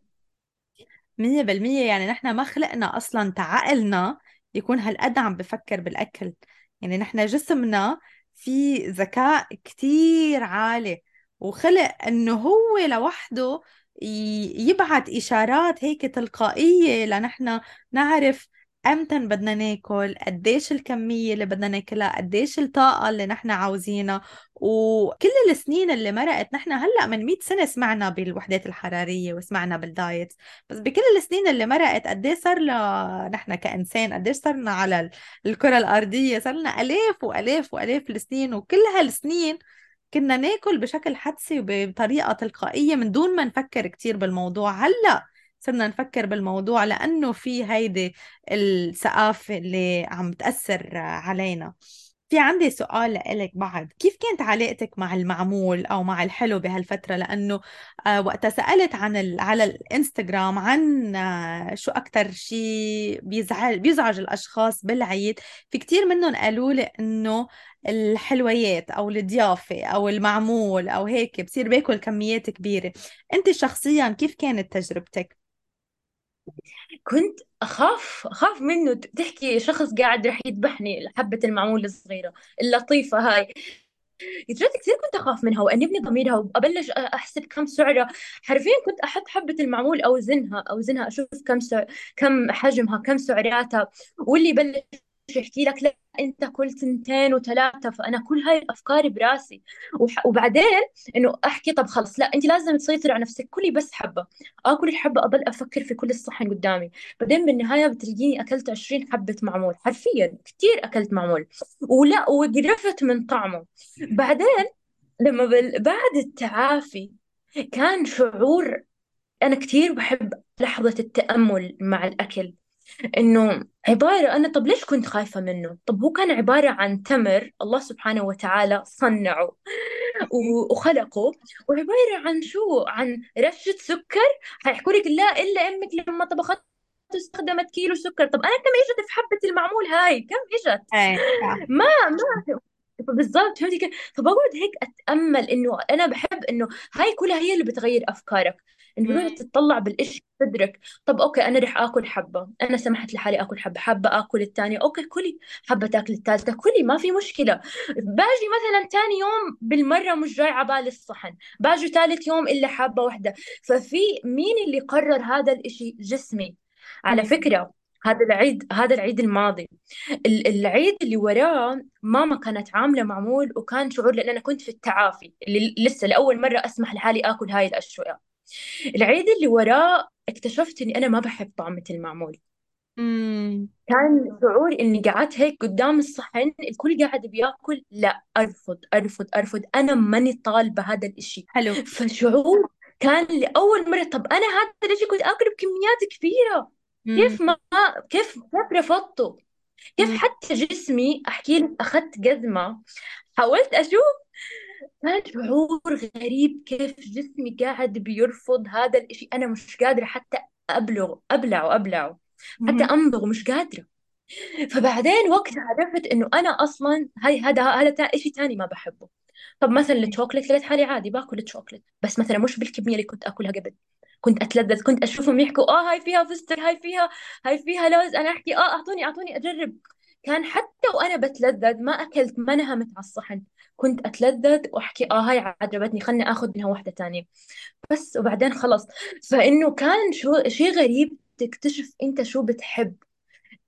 Speaker 1: 100%. يعني نحن ما خلقنا أصلا تعقلنا يكون هالقد عم بفكر بالأكل. يعني نحن جسمنا في ذكاء كتير عالي، وخلق إنه هو لوحده يبعت إشارات هيك تلقائية لنحن نعرف أمتى بدنا ناكل، قديش الكمية اللي بدنا ناكلها، قديش الطاقة اللي نحن عاوزينها. وكل السنين اللي مرقت، نحن هلأ من 100 سنة سمعنا بالوحدات الحرارية وسمعنا بالدايت، بس بكل السنين اللي مرقت قد ايه صار لنا نحن كإنسان، قد ايه صرنا على الكرة الأرضية، صار لنا آلاف وآلاف وآلاف السنين. وكل هالسنين كنا ناكل بشكل حدسي وبطريقة تلقائية من دون ما نفكر كتير بالموضوع. هلأ صرنا نفكر بالموضوع لأنه في هيدي الثقافة اللي عم تأثر علينا. في عندي سؤال لإلك بعد، كيف كانت علاقتك مع المعمول أو مع الحلو بهالفترة؟ لأنه وقتها سألت على الانستغرام عن شو أكتر شيء بيزعج الأشخاص بالعيد، في كتير منهم قالوا لي إنه الحلويات أو الضيافة أو المعمول أو هيك بصير باكل كميات كبيرة. أنت شخصيا كيف كانت تجربتك؟
Speaker 2: كنت أخاف منه. تحكي شخص قاعد رح يذبحني، حبة المعمول الصغيرة اللطيفة هاي، جد كثير كنت أخاف منها وأنبني ضميرها وأبلش أحسب كم سعرها. حرفيا كنت أحط حبة المعمول أوزنها أشوف كم حجمها، كم سعراتها. واللي يبلش يحكي لك لا أنت كل تنتين وثلاثة، فأنا كل هاي الأفكار براسي. وبعدين إنه أحكي طب خلص لا أنت لازم تسيطري على نفسك، كلي بس حبة. آكل الحبة أضل أفكر في كل الصحن قدامي، بعدين بالنهاية بتلاقيني أكلت 20 حبة معمول، حرفيا كثير أكلت معمول ولا وقرفت من طعمه. بعدين لما بعد التعافي كان شعور. أنا كثير بحب لحظة التأمل مع الأكل، إنه عبارة أنا طب ليش كنت خايفة منه؟ طب هو كان عبارة عن تمر الله سبحانه وتعالى صنعه وخلقه، وعبارة عن شو؟ عن رشة سكر. حيحكوا لك لا إلا أمك لما طبخت استخدمت كيلو سكر. طب أنا كم إجت في حبة المعمول هاي؟ كم إجت؟
Speaker 1: ايه.
Speaker 2: ما بالضبط، فهمتي كيف؟ فبقعد هيك اتامل انه انا بحب انه هاي كلها هي اللي بتغير افكارك، انه بتقعد تطلع بالإشي تدرك. طب اوكي انا رح اكل حبه، انا سمحت لحالي اكل حبه، حابه اكل الثانيه اوكي كلي، حابه تاكل الثالثه كلي، ما في مشكله. باجي مثلا ثاني يوم بالمره مش جاي على بالي الصحن، باجي ثالث يوم الا حابه واحده. ففي مين اللي قرر هذا الإشي؟ جسمي. على
Speaker 1: مم.
Speaker 2: فكره هذا العيد الماضي، العيد اللي وراه ماما كانت عاملة معمول، وكان شعور لأن أنا كنت في التعافي اللي لسه لأول مرة أسمح لحالي آكل هاي الأشياء. العيد اللي وراه اكتشفت إني أنا ما بحب طعمة المعمول.
Speaker 1: مم.
Speaker 2: كان شعور إني قعدت هيك قدام الصحن الكل قاعد بياكل، لا أرفض أرفض أرفض، أنا ماني طالبة هذا الإشي.
Speaker 1: حلو.
Speaker 2: فشعور كان لأول مرة طب أنا هذا الإشي كنت آكله بكميات كبيرة،
Speaker 1: مم.
Speaker 2: كيف ما كيف رفضته؟ كيف
Speaker 1: مم.
Speaker 2: حتى جسمي احكي لك اخذت جزمه، حاولت اشوف، كان شعور غريب كيف جسمي قاعد بيرفض هذا الاشي. انا مش قادره حتى ابلعه، حتى
Speaker 1: مم.
Speaker 2: امضغه مش قادره. فبعدين وقت عرفت انه انا اصلا هذا اشي تاني ما بحبه. طب مثلا الشوكليت لقيت حالي عادي باكل الشوكليت، بس مثلا مش بالكميه اللي كنت اكلها قبل. كنت اتلذذ، كنت اشوفهم يحكوا هاي فيها فستق، هاي فيها لوز، انا احكي اعطوني اجرب. كان حتى وانا بتلذذ ما اكلت، ما نهمت على الصحن. كنت أتلذذ وأحكي هاي عجبتني، خلني أخذ منها واحدة تانية بس، وبعدين خلص. فإنه كان شو شيء غريب تكتشف أنت شو بتحب.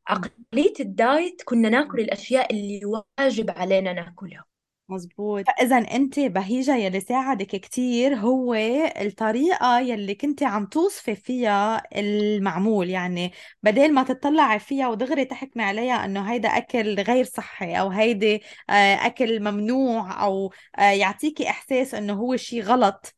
Speaker 2: عقلية الدايت كنا ناكل الأشياء اللي واجب علينا ناكلها.
Speaker 1: مزبوط. فإذا أنت بهيجة يلي ساعدك كتير هو الطريقة يلي كنت عم توصفي فيها المعمول، يعني بدل ما تطلعي فيها ودغري تحكمي عليها إنه هيدا أكل غير صحي أو هيدي أكل ممنوع، أو يعطيكي إحساس إنه هو شي غلط،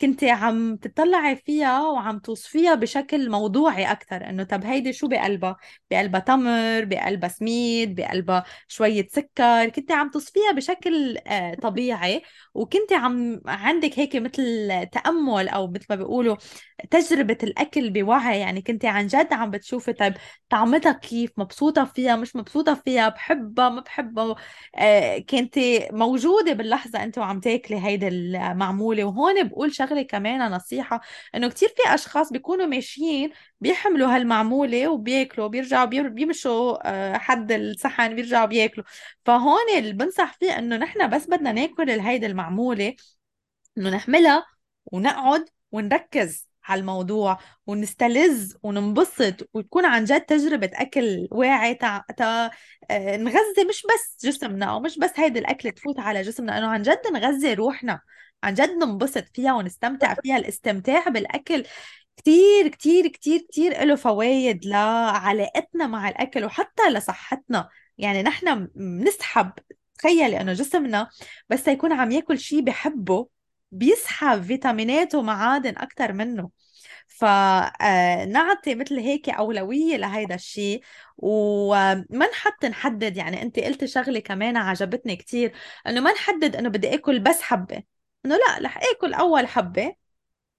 Speaker 1: كنت عم تطلعي فيها وعم توصفيها بشكل موضوعي أكتر. إنه طب هيدي شو بقلبها؟ بقلبها تمر، بقلبها سميد، بقلبها شوية سكر. كنت عم تصفيها بشكل طبيعي، وكنت عندك هيك مثل تأمل، أو مثل ما بيقولوا تجربة الأكل بوعي. يعني كنت عن جد عم بتشوفي طيب طعمتها كيف، مبسوطة فيها مش مبسوطة فيها، بحبها ما بحبها. كنت موجودة باللحظة أنت وعم تاكلي هيدا المعمولة. وهون بقول شغلة كمان نصيحة، إنه كتير في أشخاص بيكونوا ماشيين بيحملوا هالمعمولة وبياكلوا، بيرجعوا بيمشوا حد الصحن بيرجعوا بياكلوا. فهون اللي بنصح فيه انه نحن بس بدنا ناكل هيدي المعمولة، انه نحملها ونقعد ونركز على الموضوع ونستلذ وننبسط، وتكون عن جد تجربة أكل واعي نغذي مش بس جسمنا، أو مش بس هيدي الأكل تفوت على جسمنا، إنه عن جد نغذي روحنا، عن جد ننبسط فيها ونستمتع فيها. الاستمتاع بالأكل كتير كتير كتير كتير له فوائد لعلاقتنا مع الأكل وحتى لصحتنا. يعني نحن بنسحب، تخيلي انه جسمنا بس يكون عم ياكل شيء بحبه بيسحب فيتامينات ومعادن اكتر منه. فنعطي مثل هيك أولوية لهيدا الشيء، وما نحدد. يعني انت قلت شغلة كمان عجبتني كتير، انه ما نحدد انه بدي اكل بس حبة، انه لا رح اكل اول حبة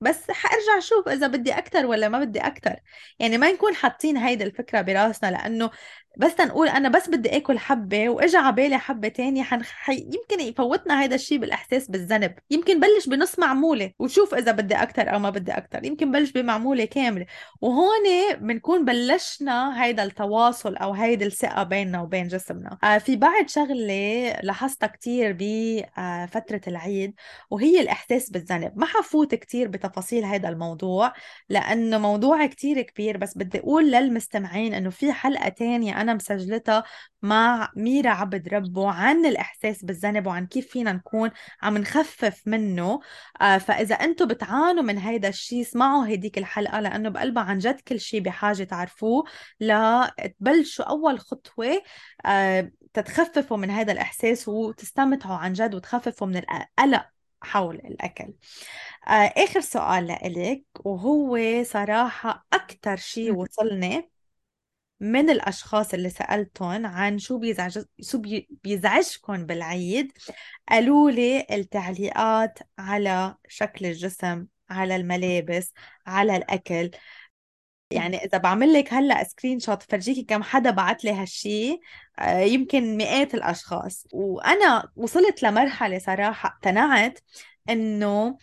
Speaker 1: بس حارجع اشوف اذا بدي اكتر ولا ما بدي اكتر. يعني ما نكون حاطين هيدي الفكرة براسنا، لانه بس تنقول انا بس بدي اكل حبة واجا على بالي حبة تانية يمكن يفوتنا هيدا الشيء بالاحساس بالذنب. يمكن بلش بنص معمولة وشوف اذا بدي اكتر او ما بدي اكتر، يمكن بلش بمعمولة كاملة. وهون بنكون بلشنا هيدا التواصل او هيدي الثقة بيننا وبين جسمنا. في بعد شغلة لاحظتها كتير بفترة العيد، وهي الإحساس بالذنب. ما حفوت كتير بتفاصيل هذا الموضوع لأنه موضوع كتير كبير، بس بدي أقول للمستمعين أنه في حلقة تانية أنا مسجلتها مع ميرا عبد ربه عن الإحساس بالذنب وعن كيف فينا نكون عم نخفف منه. فإذا أنتم بتعانوا من هيدا الشيء اسمعوا هديك الحلقة، لأنه بقلبها عن جد كل شيء بحاجة تعرفوه لتبلشوا أول خطوة تتخففوا من هذا الإحساس وتستمتعوا عن جد وتخففوا من القلق حول الأكل. آخر سؤال لإلك، وهو صراحة أكتر شيء وصلني من الأشخاص اللي سألتهم عن شو بيزعجكم بالعيد، قالوا لي التعليقات على شكل الجسم، على الملابس، على الأكل. يعني إذا بعمل لك هلأ سكرين شوت فرجيكي كم حدا بعت لي هالشي، يمكن مئات الأشخاص. وأنا وصلت لمرحلة صراحة اقتنعت إنه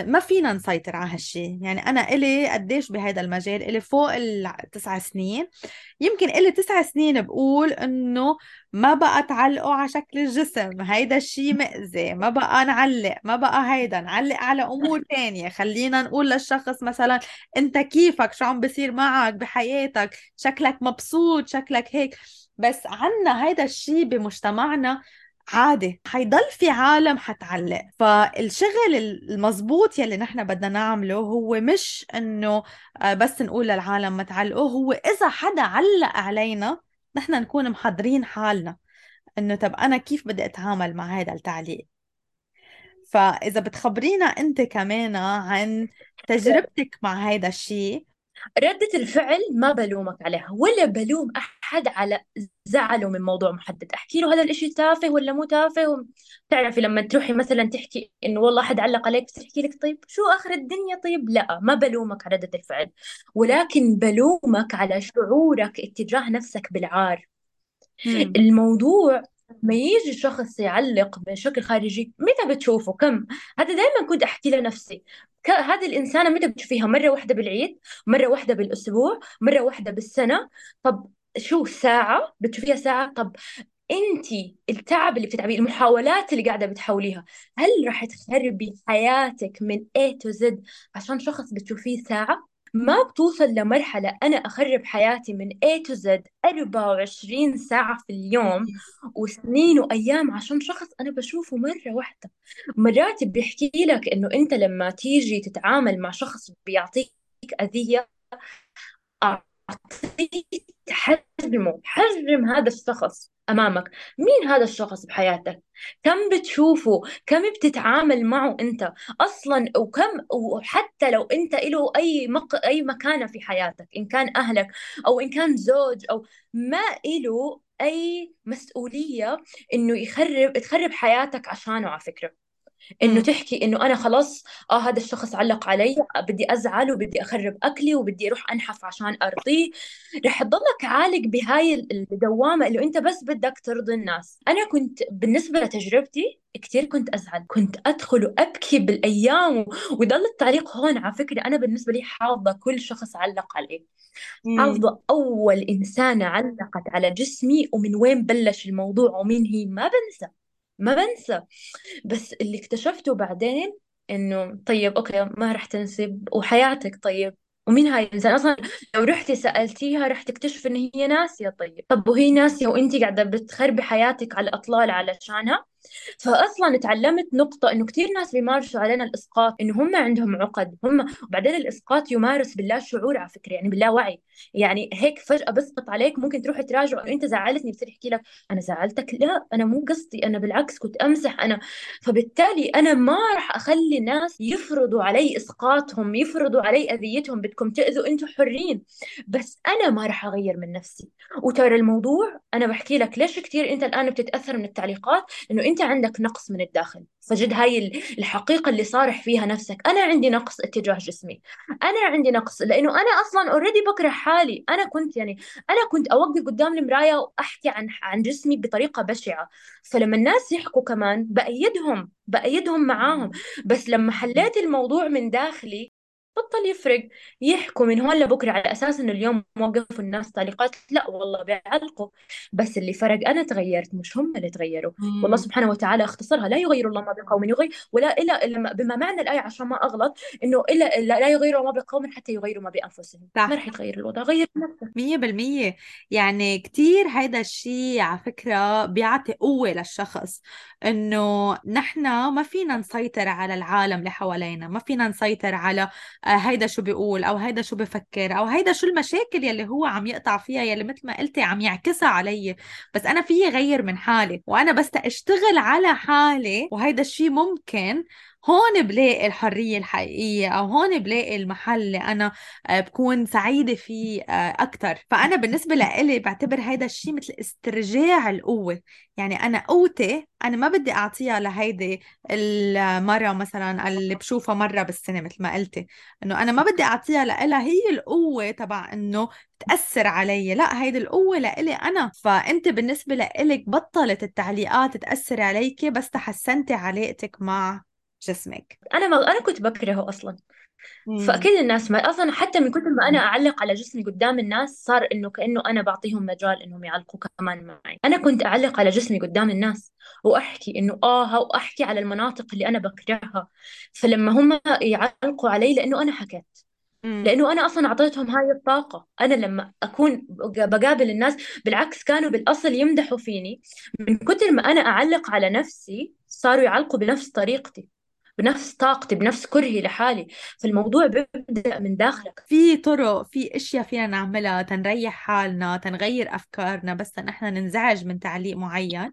Speaker 1: ما فينا نسيطر على هالشي. يعني أنا إلي قديش بهذا المجال، إلي فوق ال9 سنين، يمكن إلي 9 سنين بقول إنه ما بقى تعلقوا على شكل الجسم، هيدا الشي مأذي، ما بقى نعلق، ما بقى هيدا نعلق على أمور تانية. خلينا نقول للشخص مثلا أنت كيفك، شو عم بصير معك بحياتك، شكلك مبسوط، شكلك هيك. بس عنا هيدا الشي بمجتمعنا عادي، حيضل في عالم حتعلق. فالشغل المزبوط يلي نحن بدنا نعمله هو مش انه بس نقول للعالم ما تعلقوا، هو اذا حدا علق علينا نحن نكون محضرين حالنا انه طب انا كيف بدي اتعامل مع هذا التعليق. فاذا بتخبرينا انت كمان عن تجربتك مع هذا الشيء.
Speaker 2: ردة الفعل ما بلومك عليها ولا بلوم أحد على زعله من موضوع محدد. أحكي له هذا الإشي تافه ولا مو تافه. تعرفي لما تروحي مثلا تحكي إنه والله أحد علق عليك، بس تحكي لك طيب شو آخر الدنيا؟ طيب لا، ما بلومك على ردة الفعل، ولكن بلومك على شعورك اتجاه نفسك بالعار.
Speaker 1: مم.
Speaker 2: الموضوع ما يجي شخص يعلق بشكل خارجي، متى بتشوفه؟ كم؟ هذا دائما كنت أحكي لنفسي، هذه الإنسانة متى بتشوفيها؟ مرة واحدة بالعيد، مرة واحدة بالأسبوع، مرة واحدة بالسنة. طب شو ساعة بتشوفيها؟ ساعة؟ طب انت التعب اللي بتتعبيه، المحاولات اللي قاعده بتحاوليها، هل رح تخربي حياتك من A to Z عشان شخص بتشوفيه ساعه؟ ما بتوصل لمرحله انا اخرب حياتي من A to Z 24 ساعه في اليوم وسنين وايام عشان شخص انا بشوفه مره واحده. مرات بيحكي لك انه انت لما تيجي تتعامل مع شخص بيعطيك اذيه، أعطيه حجم هذا الشخص أمامك. مين هذا الشخص بحياتك؟ كم بتشوفه؟ كم بتتعامل معه أنت أصلا؟ وحتى لو أنت له أي مكانة في حياتك، إن كان أهلك أو إن كان زوج أو ما له أي مسؤولية إنه تخرب حياتك عشانه. على فكرة انه
Speaker 1: امم.
Speaker 2: تحكي انه انا خلاص هذا الشخص علق علي، بدي ازعل وبدي اخرب اكلي وبدي اروح انحف عشان ارضيه، رح تضلك عالق بهاي الدوامه اللي انت بس بدك ترضي الناس. انا كنت بالنسبه لتجربتي كثير كنت ازعل، كنت ادخل وابكي بالايام ويضل التعليق هون. على فكره انا بالنسبه لي حافظه كل شخص علق علي،
Speaker 1: امم.
Speaker 2: حافظه اول انسانه علقت على جسمي ومن وين بلش الموضوع ومين هي، ما بنسى، ما بنسى. بس اللي اكتشفته بعدين انه طيب اوكي ما رح تنسب وحياتك، طيب ومين هاي الانسان اصلا؟ لو رحتي سالتيها رح تكتشف ان هي ناسيه. طب وهي ناسيه وانت قاعده بتخربي حياتك على الاطلال علشانها؟ فاصلا تعلمت نقطه انه كثير ناس بيمارسوا علينا الاسقاط، انه هم عندهم عقد هم، وبعدين الاسقاط يمارس باللا شعور على فكره، يعني باللا وعي. يعني هيك فجاه بسقط عليك، ممكن تروح تراجع انه انت زعلتني، بصير يحكي لك انا زعلتك، لا انا مو قصدي، انا بالعكس كنت امزح انا. فبالتالي انا ما راح اخلي الناس يفرضوا علي اسقاطهم، يفرضوا علي اذيتهم، بدكم تاذوا انتم حرين، بس انا ما راح اغير من نفسي. وترى الموضوع انا بحكي لك ليش كثير انت الان بتتاثر من التعليقات، انه انت عندك نقص من الداخل. فجد هاي الحقيقه اللي صارح فيها نفسك، انا عندي نقص اتجاه جسمي، انا عندي نقص لانه انا اصلا اوريدي بكره حالي. انا كنت يعني انا كنت اوقف قدام المرايه واحكي عن جسمي بطريقه بشعه، فلما الناس يحكوا كمان بايدهم معاهم. بس لما حليت الموضوع من داخلي بطل يفرق، يحكوا من هون لبكره على اساس انه اليوم وقفوا الناس تعليقات، لا والله بيعلقوا، بس اللي فرق انا تغيرت مش هم اللي تغيروا. والله
Speaker 1: امم.
Speaker 2: سبحانه وتعالى اختصرها، لا يغير الله ما بقوم يغير ولا إلا بما معنى الآية عشان ما أغلط، إنه إلا لا يغيروا ما بقوم حتى يغيروا ما بأنفسهم. ما
Speaker 1: صح.
Speaker 2: رح يتغير الوضع، غير نفسك.
Speaker 1: 100%. يعني كتير هيدا الشيء على فكرة بيعطي قوة للشخص، إنه نحن ما فينا نسيطر على العالم اللي حوالينا، ما فينا نسيطر على هيدا شو بيقول أو هيدا شو بفكر أو هيدا شو المشاكل يلي هو عم يقطع فيها، يلي مثل ما قلتي عم يعكسها علي. بس أنا فيي غير من حالي، وأنا بس أشتغل على حالي، وهيدا الشيء ممكن. هون بلاقي الحرية الحقيقية، أو هون بلاقي المحل اللي أنا بكون سعيدة فيه أكتر. فأنا بالنسبة لإلي بعتبر هيدا الشيء مثل استرجاع القوة. يعني أنا قوتي أنا ما بدي أعطيها لهيدي المرة مثلا اللي بشوفها مرة بالسنة، مثل ما قلتي، إنه أنا ما بدي أعطيها لإلها هي القوة تبع إنه تأثر علي. لا، هيدي القوة لإلي أنا. فأنت بالنسبة لإلك بطلت التعليقات تأثر عليكي بس تحسنتي علاقتك مع جسمك.
Speaker 2: أنا كنت بكرهه أصلا.
Speaker 1: امم.
Speaker 2: فأكيد الناس ما أصلا حتى من كثر ما أنا أعلق على جسمي قدام الناس صار إنه كأنه أنا بعطيهم مجال إنهم يعلقوا كمان معي. أنا كنت أعلق على جسمي قدام الناس وأحكي إنه وأحكي على المناطق اللي أنا بكرهها، فلما هم يعلقوا علي لأنه أنا حكيت،
Speaker 1: امم.
Speaker 2: لأنه أنا أصلا أعطيتهم هاي الطاقة. أنا لما أكون بقابل الناس بالعكس كانوا بالأصل يمدحوا فيني، من كتر ما أنا أعلق على نفسي صاروا يعلقوا بنفس طريقتي، بنفس طاقتي، بنفس كرهي لحالي. فالموضوع بيبدأ من داخلك.
Speaker 1: في طرق، في اشياء فينا نعملها تنريح حالنا، تنغير افكارنا، بس نحن ننزعج من تعليق معين،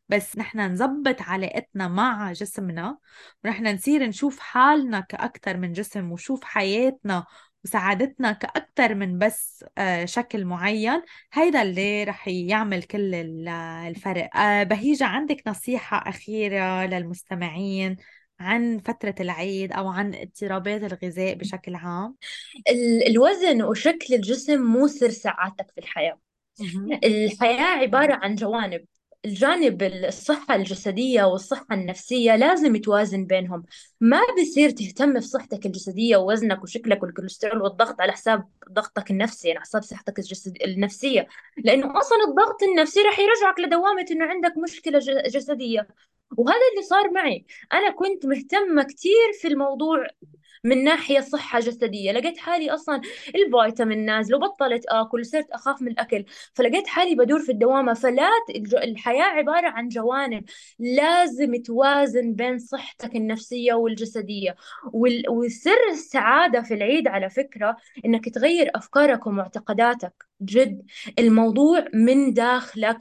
Speaker 1: بس نحن نظبط علاقتنا مع جسمنا، ونحن نصير نشوف حالنا كأكتر من جسم، وشوف حياتنا وسعادتنا كأكتر من بس شكل معين. هيدا اللي رح يعمل كل الفرق. بهيجة، عندك نصيحة أخيرة للمستمعين عن فترة العيد أو عن اضطرابات الغذاء بشكل عام؟
Speaker 2: الوزن وشكل الجسم مو سر سعادتك في الحياة.
Speaker 1: مهم.
Speaker 2: الحياة عبارة عن جوانب، الجانب الصحة الجسدية والصحة النفسية لازم يتوازن بينهم. ما بصير تهتم بصحتك الجسدية ووزنك وشكلك والكوليسترول والضغط على حساب ضغطك النفسي، يعني على حساب صحتك النفسية. لأنه أصلا الضغط النفسي رح يرجعك لدوامة إنه عندك مشكلة جسدية. وهذا اللي صار معي. أنا كنت مهتمة كثير في الموضوع من ناحية صحة جسدية، لقيت حالي أصلا الفيتامين نازل وبطلت آكل وصرت أخاف من الأكل، فلقيت حالي بدور في الدوامة. فلا الحياة عبارة عن جوانب، لازم توازن بين صحتك النفسية والجسدية. وسر السعادة في العيد على فكرة إنك تغير أفكارك ومعتقداتك. جد الموضوع من داخلك.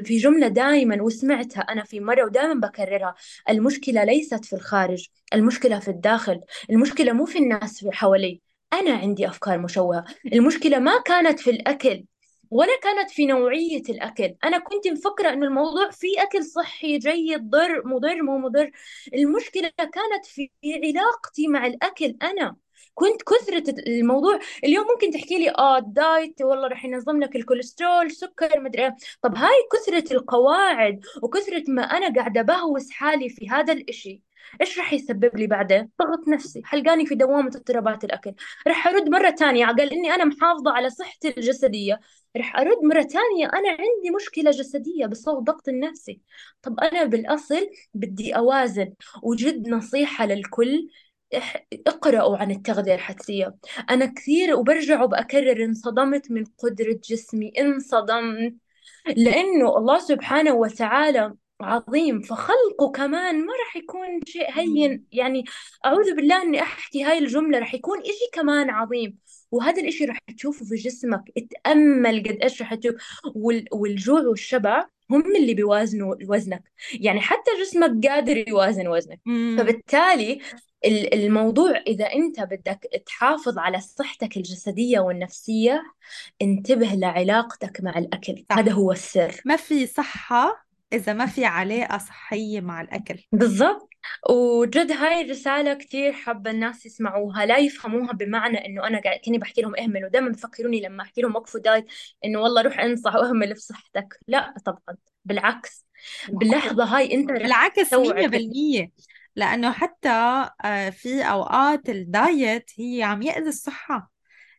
Speaker 2: في جملة دائما وسمعتها أنا في مرة ودائما بكررها: المشكلة ليست في الخارج، المشكلة في الداخل. المشكلة مو في الناس في حوالي، أنا عندي أفكار مشوهة. المشكلة ما كانت في الأكل ولا كانت في نوعية الأكل. أنا كنت مفكرة إنه الموضوع في أكل صحي جيد، مضر مو مضر. المشكلة كانت في علاقتي مع الأكل. أنا كنت كثرة الموضوع. اليوم ممكن تحكي لي الدايت والله رح ينظم لك الكوليسترول سكر مدري إيه. طب هاي كثرة القواعد وكثرة ما أنا قاعدة بهوس حالي في هذا الإشي، ايش رح يسبب لي بعدين؟ ضغط نفسي حلقاني في دوامة اضطرابات الأكل. رح أرد مرة تانية على إني أنا محافظة على صحتي الجسدية، رح أرد مرة تانية أنا عندي مشكلة جسدية بسبب ضغط النفسي. طب أنا بالأصل بدي أوازن. وجد نصيحة للكل: اقرأوا عن التغذية الحدسية. أنا كثير وبرجع وبأكرر انصدمت من قدرة جسمي، انصدمت. لأنه الله سبحانه وتعالى عظيم، فخلقه كمان ما رح يكون شيء هين يعني. أعوذ بالله إني أحكي هاي الجملة، رح يكون إشي كمان عظيم. وهذا الإشي رح تشوفه في جسمك. اتأمل قد إيش رح تشوف. والجوع والشبع هم اللي بيوازنوا وزنك. يعني حتى جسمك قادر يوازن وزنك.
Speaker 1: مم.
Speaker 2: فبالتالي الموضوع إذا أنت بدك تحافظ على صحتك الجسدية والنفسية، انتبه لعلاقتك مع الأكل. هذا
Speaker 1: صح.
Speaker 2: هو السر.
Speaker 1: ما في صحة إذا ما في علاقة صحية مع الأكل.
Speaker 2: بالضبط. وجد هاي الرسالة كثير حابة الناس يسمعوها، لا يفهموها بمعنى إنه أنا قاعد كني بحكي لهم اهملوا. دائما بفكروني لما أحكي لهم وقفوا دايت إنه والله روح انصح واهمل في صحتك. لا طبعا، بالعكس.
Speaker 1: بالعكس.
Speaker 2: باللحظة هاي أنت رح
Speaker 1: بالعكس
Speaker 2: تستوعب
Speaker 1: 100%. لأنه حتى في أوقات الدايت هي عم يأذي الصحة.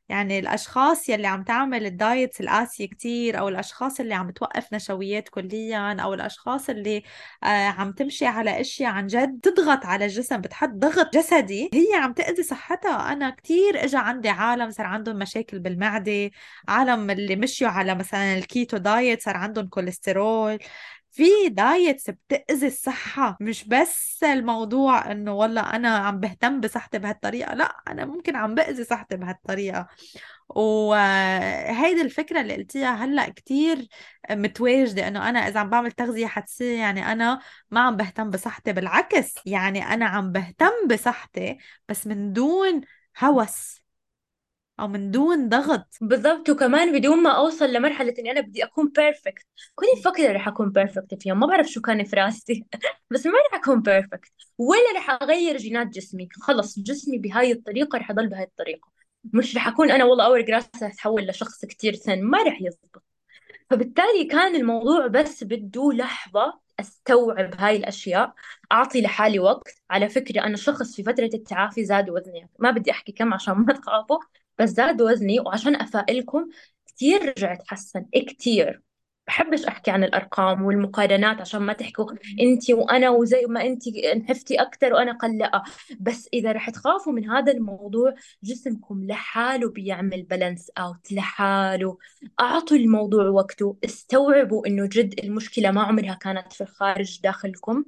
Speaker 1: يعني الأشخاص يلي عم تعمل الدايت القاسية كتير، أو الأشخاص اللي عم توقف نشويات كليا، أو الأشخاص اللي عم تمشي على أشياء عن جد تضغط على الجسم، بتحط ضغط جسدي، هي عم تأذي صحتها. أنا كتير إجا عندي عالم صار عندهم مشاكل بالمعدة، عالم اللي مشيوا على مثلا الكيتو دايت صار عندهم كوليسترول. في دايتس بتأذي الصحة، مش بس الموضوع انه والله انا عم بهتم بصحتي بهالطريقة، لا، انا ممكن عم بأذي صحتي بهالطريقة. وهيدي الفكرة اللي قلتيها هلأ كتير متواجدة، انه انا اذا عم بعمل تغذية حدسية يعني انا ما عم بهتم بصحتي. بالعكس، يعني انا عم بهتم بصحتي بس من دون هوس او من دون ضغط.
Speaker 2: بالضبط. وكمان بدون ما اوصل لمرحله اني انا بدي اكون بيرفكت. كنت مفكره رح اكون بيرفكت في يوم، ما بعرف شو كان في راسي بس ما رح اكون بيرفكت ولا رح اغير جينات جسمي. خلص جسمي بهاي الطريقه رح اضل بهاي الطريقه. مش رح اكون انا والله اول راسي رح اتحول لشخص كتير سن، ما رح يزبط. فبالتالي كان الموضوع بس بده لحظة استوعب هاي الاشياء، اعطي لحالي وقت. على فكرة انا شخص في فترة التعافي زاد وزني، ما بدي احكي كم عشان ما تخافوا، بس زاد وزني. وعشان افائلكم كثير رجعت حسن كثير. بحبش احكي عن الارقام والمقارنات عشان ما تحكوا انت وانا وزي ما انت نحفتي اكثر وانا قلقه. بس اذا رح تخافوا من هذا الموضوع، جسمكم لحاله بيعمل بالانس اوت لحاله. أعطوا الموضوع وقته، استوعبوا إنه جد المشكلة ما عمرها كانت في الخارج، داخلكم.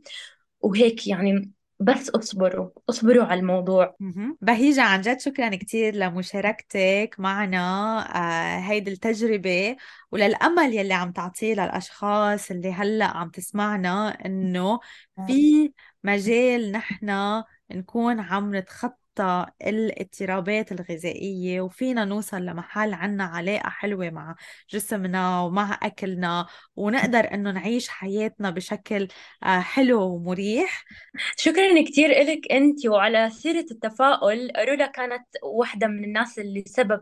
Speaker 2: وهيك يعني. بس اصبروا اصبروا على الموضوع.
Speaker 1: بهيجة، عن جد شكرا كتير لمشاركتك معنا هيدي التجربة، وللأمل يلي عم تعطيه للأشخاص اللي هلأ عم تسمعنا، إنه في مجال نحن نكون عم نتخطى نتخطى الاضطرابات الغذائية، وفينا نوصل لمحل عنا علاقة حلوة مع جسمنا ومع أكلنا، ونقدر إنه نعيش حياتنا بشكل حلو ومريح.
Speaker 2: شكرا كثير إلك أنت. وعلى سيرة التفاؤل، رولا كانت واحدة من الناس اللي سبب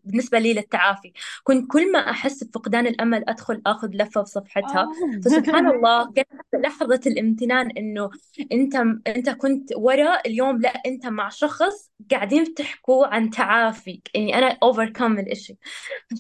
Speaker 2: بالنسبة لي للتعافي. كنت كل ما أحس بفقدان الأمل أدخل أخذ لفة في صفحتها، فسبحان الله كانت لحظة الامتنان إنه أنت أنت كنت ورا اليوم، لا أنت مع شخص قاعدين تحكوا عن تعافي، يعني أنا overcome الإشي.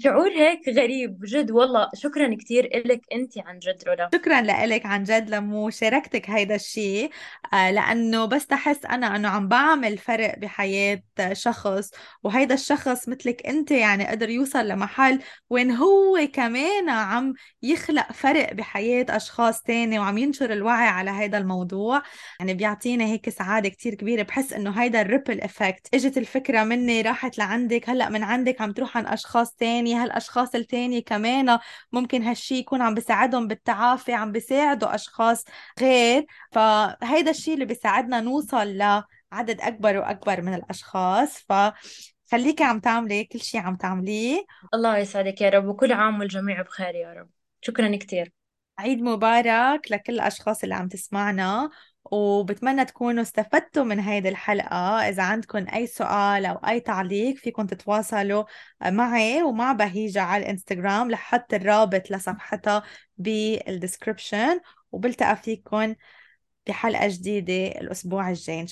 Speaker 2: شعور هيك غريب جد والله. شكرا كثير إلك أنت عن جد رولا.
Speaker 1: شكرا لك عن جد لمو شاركتك هيدا الشيء، لأنه بس تحس أنا أنه عم بعمل فرق بحياة شخص، وهيدا الشخص مثلك أنت يعني قدر يوصل لمحل وين هو كمان عم يخلق فرق بحياة أشخاص تاني وعم ينشر الوعي على هيدا الموضوع. يعني بيعطينا هيك سعادة كتير كبيرة. بحس إنه هيدا الريبل إفكت، إجت الفكرة مني راحت لعندك، هلأ من عندك عم تروح عن أشخاص تاني، هالأشخاص التاني كمان ممكن هالشي يكون عم بيساعدهم بالتعافي، عم بيساعدوا أشخاص غير. فهيدا الشي اللي بيساعدنا نوصل لعدد أكبر وأكبر من الأشخاص. فخليكي عم تعملي كل شي عم تعمليه.
Speaker 2: الله يسعدك يا رب، وكل عام والجميع بخير يا رب. شكرا كثير.
Speaker 1: عيد مبارك لكل الأشخاص اللي عم تسمعنا، وبتمنى تكونوا استفدتوا من هيدي الحلقة. إذا عندكم أي سؤال أو أي تعليق فيكم تتواصلوا معي ومع بهيجة على الإنستغرام، لحط الرابط لصفحتها بالدسكريبشن. وبلتقى فيكم بحلقة جديدة الأسبوع الجاي إن شاء الله.